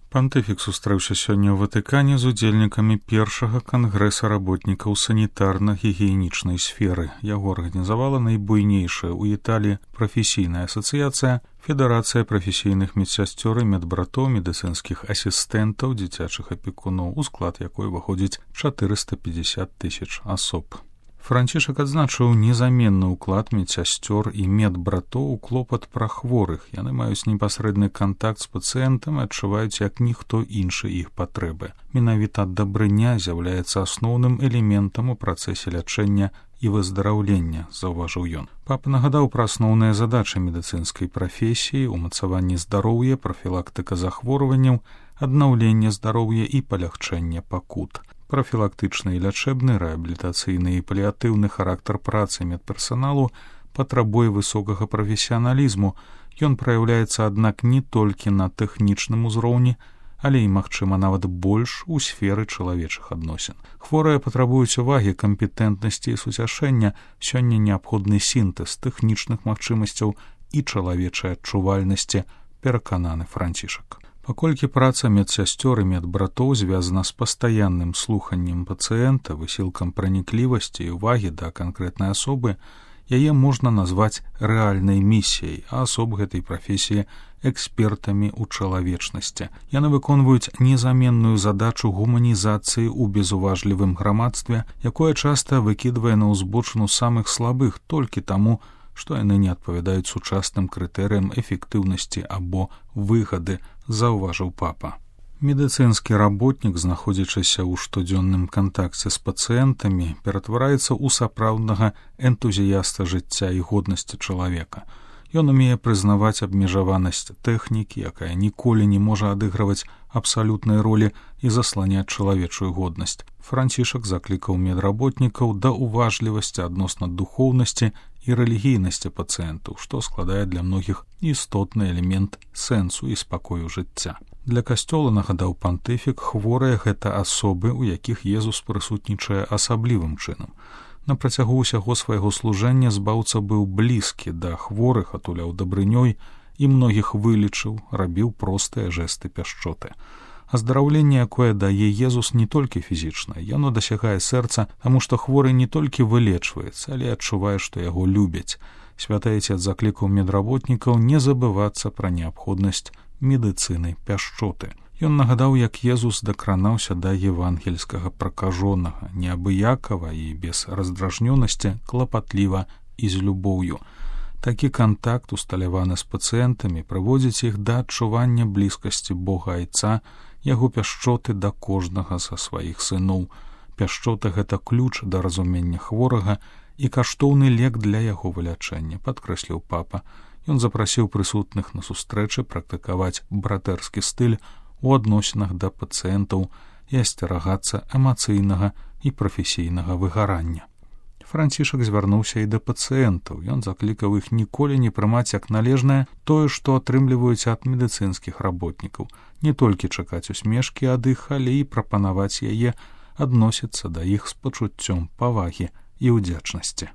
Пантыфік сустрэўся сёння ў Ватыкане з удзельнікамі першага кангрэса работнікаў санітарна-гігіенічнай сферы. Яго арганізавала найбуйнейшая ў Італіі прафесійная асацыяцыя Федэрацыя прафесійных медсясцёр і медбратоў, медыцынскіх асістэнтаў, дзіцячых апекуноў, у склад якой уваходзіць 450 000 асоб. Францішак адзначыў незаменны ўклад медсясцёр і медбратоў у клопат пра хворых. Яны маюць непасрэдны кантакт з пацыентам і адчуваюць як ніхто іншы іх патрэбы. Менавіта дабрыня з'яўляецца асноўным элементам у працэсе лячэння і выздараўлення, заўважыў ён. Папа нагадаў пра асноўныя задачы медыцынскай прафесіі, умацаванне здароўя, прафілактыка захворванняў, аднаўленне здароўя і палягчэнне пакут. Прафілактычны і лячэбны, рэабілітацыйны і паліатыўны характар працы медперсаналу патрабуе высокага прафесіяналізму. Ён праяўляецца, аднак, не толькі на тэхнічным узроўні, але і, магчыма, нават больш у сферы чалавечых адносін. Хворыя патрабуюць увагі, кампетэнтнасці і суцяшэння. Сёння неабходны сінтэз тэхнічных магчымасцяў і чалавечай адчувальнасці, перакананы Францішак. Паколькі праца медсясцёр і медбратоў звязана з пастаянным слуханнем пацыента, высілкам праніклівасці і ўвагі да канкрэтнай асобы, яе можна назваць рэальнай місіяй, а асоб гэтай прафесіі экспертамі ў чалавечнасці. Яны выконваюць незаменную задачу гуманізацыі ў безуважлівым грамадстве, якое часта выкідвае на ўзбочыну самых слабых толькі таму, што яны не адпавядаюць сучасным крытэрыям эфектыўнасці або выгады, заўважыў папа. Медыцынскі работнік, знаходзячыся ў штодзённым кантакце з пацыентамі, ператвараецца ў сапраўднага энтузіяста жыцця і годнасці чалавека. Ён умее прызнаваць абмежаванасць тэхнікі, якая ніколі не можа адыгрываць абсалютнай ролі і засланяць чалавечую годнасць. Францішак заклікаў медработнікаў да уважлівасці адносна духоўнасці і рэлігійнасці пацыентаў, што складае для многіх істотны элемент сэнсу і спакою жыцця. Для касцёла, нагадаў пантыфік, хворыя гэта асобы, у якіх Езус прысутнічае асаблівым чынам. На працягу ўсяго свайго служэння збаўца быў блізкі да хворых, атуляў дабрынёй і многіх вылечыў, рабіў простыя жэсты пяшчоты. Аздараўленне, якое дае Езус, не толькі фізічнае, яно дасягае сэрца, таму што хворы не толькі вылечваецца, але адчувае, што яго любяць. Святы Айцец заклікаў медработнікаў не забывацца пра неабходнасць медыцыны пяшчоты. Ён нагадаў, як Езус дакранаўся да евангельскага пракажонага, неабыякава і без раздражнёнасці, клапатліва і з любоўю. Такі кантакт, усталяваны з пацыентамі, прыводзіць іх да адчування блізкасці Бога Айца, яго пяшчоты да кожнага са сваіх сыноў. Пяшчота — гэта ключ да разумення хворага і каштоўны лек для яго вылячэння, падкрэсліў папа. Ён запрасіў прысутных на сустрэчы практыкаваць братэрскі стыль у адносінах да пацыентаў і асцерагацца эмацыйнага і прафесійнага выгарання. Францішак звярнуўся і да пацыентаў. Ён заклікаў іх ніколі не прымаць як належнае тое, што атрымліваюць ад медыцынскіх работнікаў, не толькі чакаць усмешкі ад іх, але і прапанаваць яе, адносіцца да іх з пачуццём павагі і ўдзячнасці.